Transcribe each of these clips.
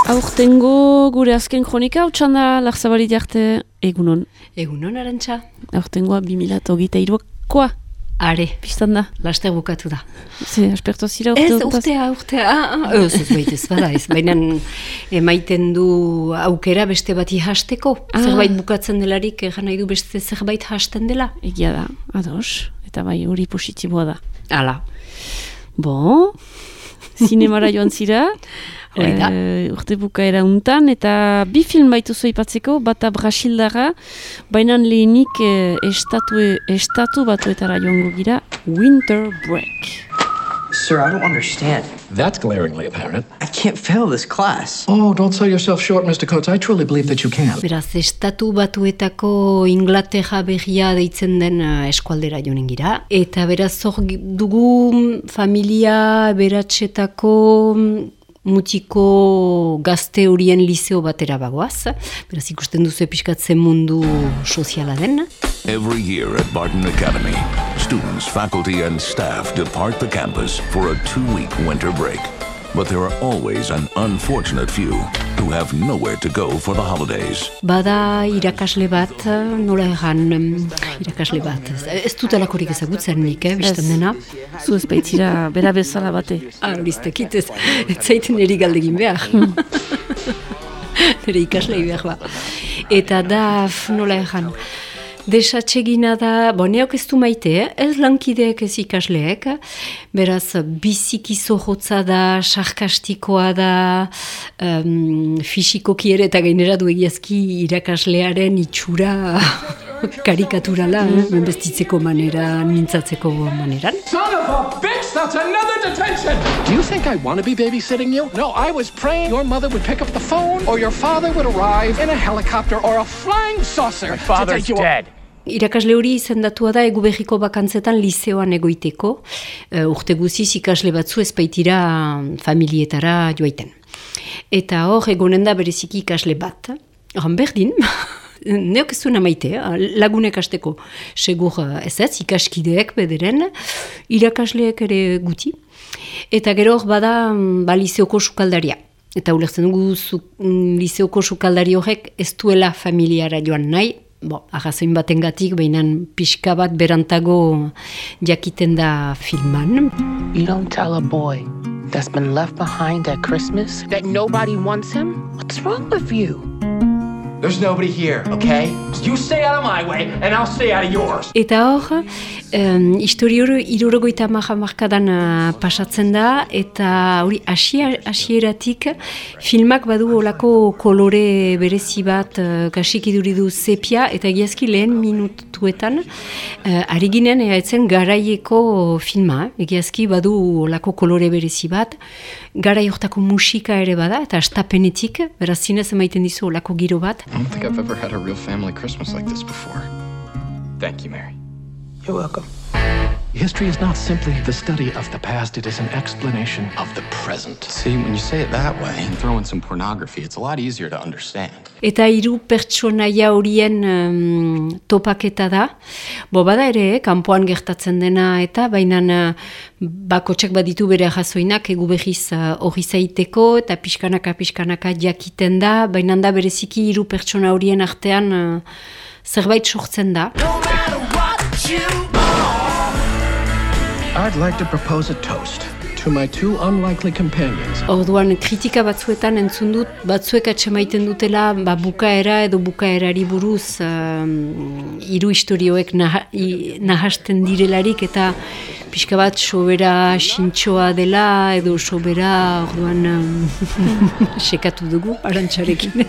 Aurtengo gure azken kronika, hau txanda Larzabalit arte egunon. Egunon, Arantxa. Aurtengoa 2023koa. Are. Bistan da. Laster bukatu da. Ze, aspertu zira urtea. Ez baitez bada ez. Baina emaiten du aukera beste bati hasteko. Zerbait bukatzen delarik, nahi du beste zerbait hasten dela. Egia da, ados. Eta bai, hori positiboa da. Hala. Bon, zinemara joan zira. Urte bukaera untan, eta bi film baituzu aipatzeko, bata Brasildara, baina lehenik estatu batuetara joango gira, Winter Break. Sir, I don't understand. That's glaringly apparent. I can't fail this class. Oh, don't sell yourself short, Mr. Coates. I truly believe that you can. Beraz, estatu batuetako Inglaterra berria deitzen den eskualdera joanen gira. Eta beraz, hor dugu familia beratxetako mutiko gazte horien liceo batera bagoaz. Beraz, ikusten duzu pixkatzen mundu soziala den. Every year at Barton Academy, students, faculty, and staff depart the campus for a 2-week winter break. But there are always an unfortunate few who have nowhere to go for the holidays. Bada irakasle bat, nola egan irakasle bat. Ez dutelakorik ezagutzen nik, biztan dena. Zu ez baitzira bera bezala bate. Horiztekit ez zaiten eri galdegin behar. Nere ikaslei behar ba. Eta da, nola egan, desatsegina da, neok ez du maite, ez lankideek ez ikasleek, beraz biziki zorrotza da, sarkastikoa da, fisikoki ere eta gainera du egiazki irakaslearen itxura karikaturala, bestitzeko maneran, mintzatzeko maneran. Son of a bitch, that's another detention! Do you think I want to be babysitting you? No, I was praying your mother would pick up the phone or your father would arrive in a helicopter or a flying saucer. My father's dead. Irakasle hori izendatua da egu behiko bakantzetan lizeoan egoiteko. Urte guziz ikasle batzu ez baitira familietara joaiten. Eta hor egonen da bereziki ikasle bat. Horan berdin, neok ez duena maite, lagunek hasteko segur ez, ikaskideek bederen, irakasleek ere guti. Eta gero hor bada lizeoko sukaldaria. Eta ulertzen dugu lizeoko sukaldari horrek ez duela familiara joan nahi, arrazoin batengatik, behinan pixka bat berantago jakiten da filman. You don't tell a boy that's been left behind at Christmas that nobody wants him? What's wrong with you? There's nobody here, okay? You stay out of my way, and I'll stay out of yours. Eta hor, histori hori 70 hamarkadan pasatzen da, eta hori hasieratik filmak badu olako kolore berezi bat, kasik iduridu sepia, eta egiazki lehen minutuetan, ari ginen eaetzen garaieko filma, egiazki badu olako kolore berezi bat, garai hortako musika ere bada, eta astapenetik, beraz zinez emaiten dizu olako giro bat. I don't think I've ever had a real family Christmas like this before. Thank you, Mary. You're welcome. History is not simply the study of the past, it is an explanation of the present. See, when you say it that way and throw in some pornography, it's a lot easier to understand. Eta hiru pertsonaia horien topaketa da. Bada ere, kanpoan gertatzen dena eta bainan bakotxak baditu bere jasoinak egu behiz hori zaiteko eta pixkanaka jakiten da, bainan da bereziki hiru pertsona horien artean zerbait sortzen da. I'd like to propose a toast to my two unlikely companions. Orduan kritika batzuetan entzun dut, batzuek atxemaiten dutela bukaera edo bukaerari buruz hiru istorioek nahasten direlarik eta pixka bat sobera sintxoa dela edo sobera orduan sekatu dugu Arantxarekin.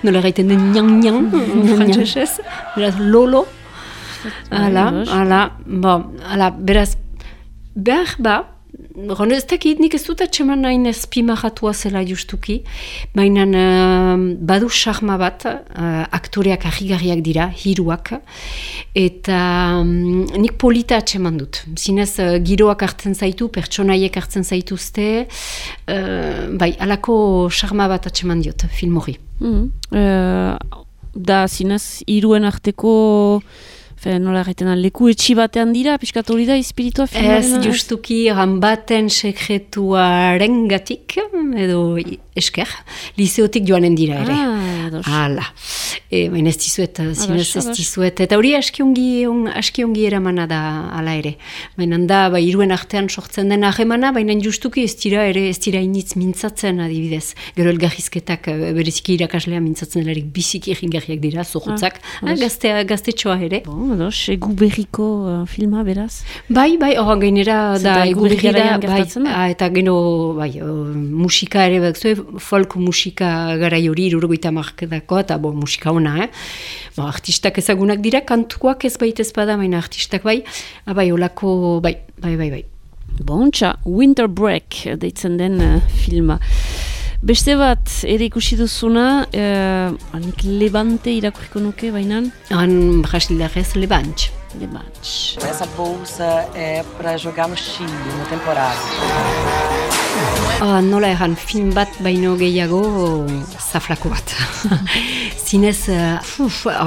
Nola gaiten den nian frantzesez, beraz lolo. Beraz, behar ez dakit nik ez dut atxeman nahin ezpimahatua zela justuki, baina badu sarma bat, aktoreak ahigarriak dira, hiruak, eta nik polita atxeman dut. Zinez, giroak hartzen zaitu, pertsonaiek hartzen zaituzte, alako sarma bat atxeman diot, film hori. Da, zinez, hiruen arteko nola erraiten leku etxi batean dira, piskat hori da, espiritua filmaren? Ez, justuki baten sekretuaren gatik, edo esker, liseotik joanen dira ere. Hala. Baina ez dizuet, zinez ez dizuet. Eta hori aski ongi eramana da ala ere. Baina da, iruen artean sortzen den ahemana, baina justuki ez dira initz mintzatzen adibidez. Gero elgarrizketak bereziki irakaslea mintzatzen delarik biziki egingarriak dira, zorutzak. Gaztetxoa ere. Ados, egu berriko filma, beraz? Bai, hor gainera da egu berrira, eta gero, musika ere, folk musika garai hori, 70 markadako, eta musika ona, artistak ezagunak dira, kantuak ez bada, baina artistak bai, olako, bai. Bontxa, Winter Break deitzen den filma. Beste bat, ere ikusi duzuna, anik Levante irakurriko nuke, bainan? Brasildarrez Levante. Essa bolsa é para jogar no Chile, na temporada. Nola erran, film bat baino gehiago zaflako bat. Zinez,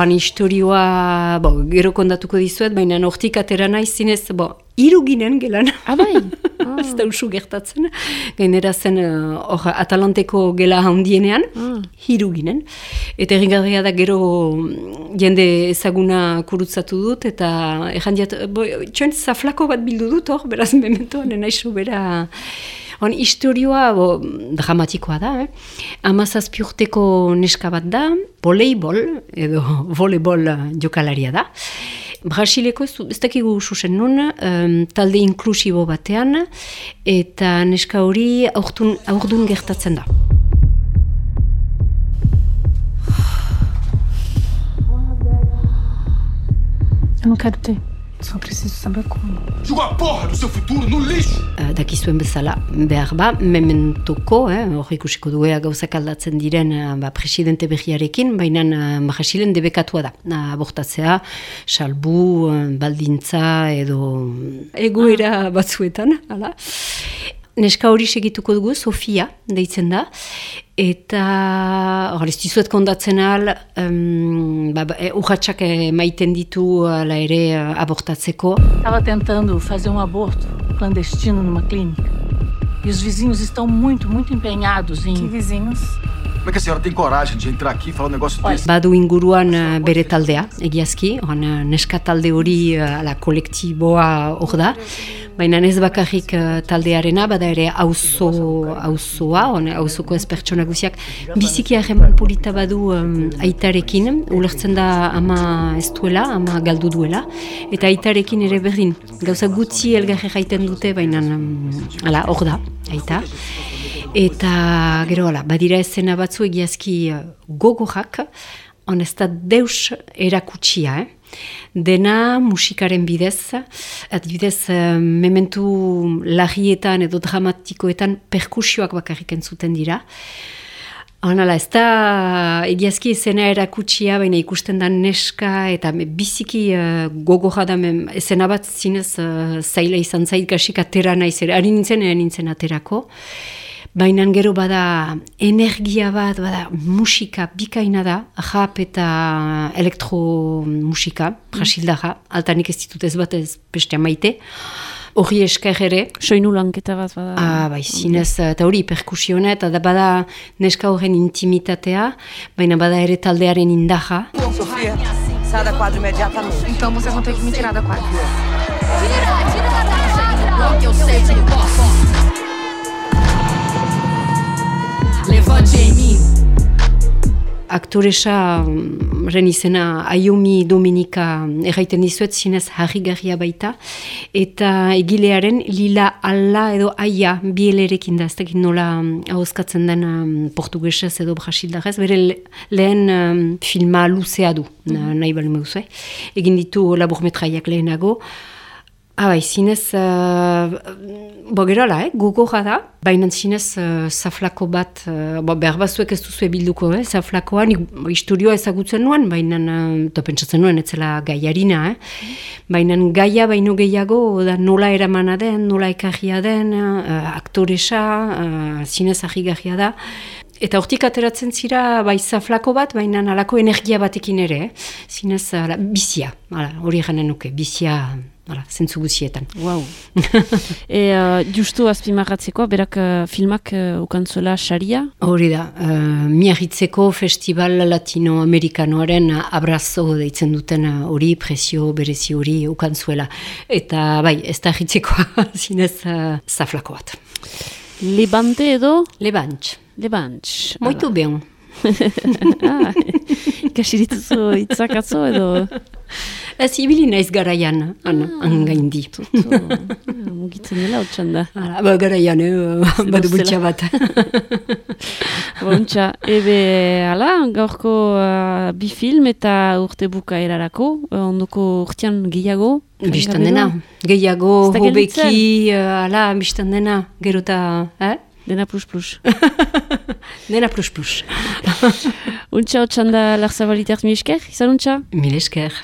historioa, gero kondatuko dizuet, baina hortik atera naiz, zinez, hiru ginen gelan. Bai? Ez da usu gertatzen. Gainera zen, Atalanteko gela handienean, hiru ginen. Eta erringarria da gero jende ezaguna kurutzatu dut, eta errandiat, txoen zaflako bat bildu dut hor, beraz mementoan, naizu bera... Historioa dramatikoa da, 17 urteko neska bat da, voleibol, edo voleibol jokalaria da. Brasileko ez dakigu susen nun, talde inklusibo batean, eta neska hori aurdun gertatzen da. Eu não quero ter. Só preciso saber como. Joga a porra do seu futuro no lixo! Dakizuen bezala, behar mementoko, hor ikusiko duea gauzak aldatzen diren presidente berriarekin, baina Brasilen debekatua da. Abortatzea, salbu, baldintza edo egoera batzuetan, hala. Neska hori segituko dugu, Sofia, deitzen da, eta ez dizuet kondatzen ahal, urratxak maiten ditu ala ere abortatzeko. Estava tentando fazer aborto clandestino numa clínica. E os vizinhos estão muito empenhados em... Que vizinhos? Como é que a senhora tem coragem de entrar aqui e falar um negócio desse? Badu inguruan bere taldea, egiazki, neska talde hori kolektiboa hor da, baina ez bakarrik taldearena, bada ere auzoa, auzoko ez pertsona guziak, biziki harreman polita badu aitarekin, ulertzen da ama ez duela, ama galdu duela, eta aitarekin ere berdin. Gauza gutxi elgarre jaiten dute, baina hor da, aita. Eta gero badira esena batzu egiazki gogorak, ez da deus erakutsia, Dena musikaren bidez, adibidez mementu larrietan edo dramatikoetan perkusioak bakarrik entzuten dira. Ez da egiazki esena erakutsia, baina ikusten da neska eta biziki gogorra da esena bat zinez zaila izan zait gasik atera naiz ere, ari nintzen aterako. Baina gero bada energia bat, bada musika bikaina da, rap eta elektromusika, brasildarra, altanik ez ditut ez bat ez bestea maite. Hori esker ere. Soinu lanketa bat bada. Bai, zinez, eta hori perkusiona, eta bada neska horren intimitatea, baina bada ere taldearen indaja. Sofia, sai da quadra imediatamente. Então vocês vão ter que me tirar da quadra. Tira da quadra! Eu sei que posso. Levante em mim. Aktoresa izena Ayomi Dominika erraiten dizuet, zinez harrigarria baita, eta egilearen Lila Alla edo Aia bielerekin da, ez dakit nola ahozkatzen den portugesez edo brasildarrez, bere lehen filma luzea du, nahi bali meuzue, egin ditu laburmetraiak lehenago. Bai, zinez, gerola, gogorra da, baina zinez zaflako bat, behar bazuek ez duzu bilduko, zaflakoan, historioa ezagutzen nuen, baina, pentsatzen nuen, etzela gaiarina, baina gaia baino gehiago, da nola eramana den, nola ekarria den, aktoresa, zinez ahigarria da, Eta hortik ateratzen zira bai zaflako bat, baina alako energia batekin ere, zinez bizia, hori eganen nuke, bizia zentzu guzietan. Wow. Justu azpimarratzekoa, berak filmak ukantzuela saria? Hori da, Miarritzeko Festival Latinoamerikanoaren abrazo deitzen duten hori, prezio berezi hori ukantzuela. Eta bai, ez da hitzekoa zinez zaflako bat. Levante edo? Levantx. Muito bien. Ikasi dituzu itzakatzo edo? Ez ibili naiz garaian, angaindi. Mugitzen dela hotxan da. Garaian, badu bultxa bat. Bontxa, gaurko bi film eta urte bukaerarako, ondoko urtean gehiago? Bistan dena, gehiago, hobeki, bistan dena, gerota, Dena plus-plus. Dena plus-plus. Untxa hotxan da Larzabaliter, mil esker, izan untxa? Mil esker.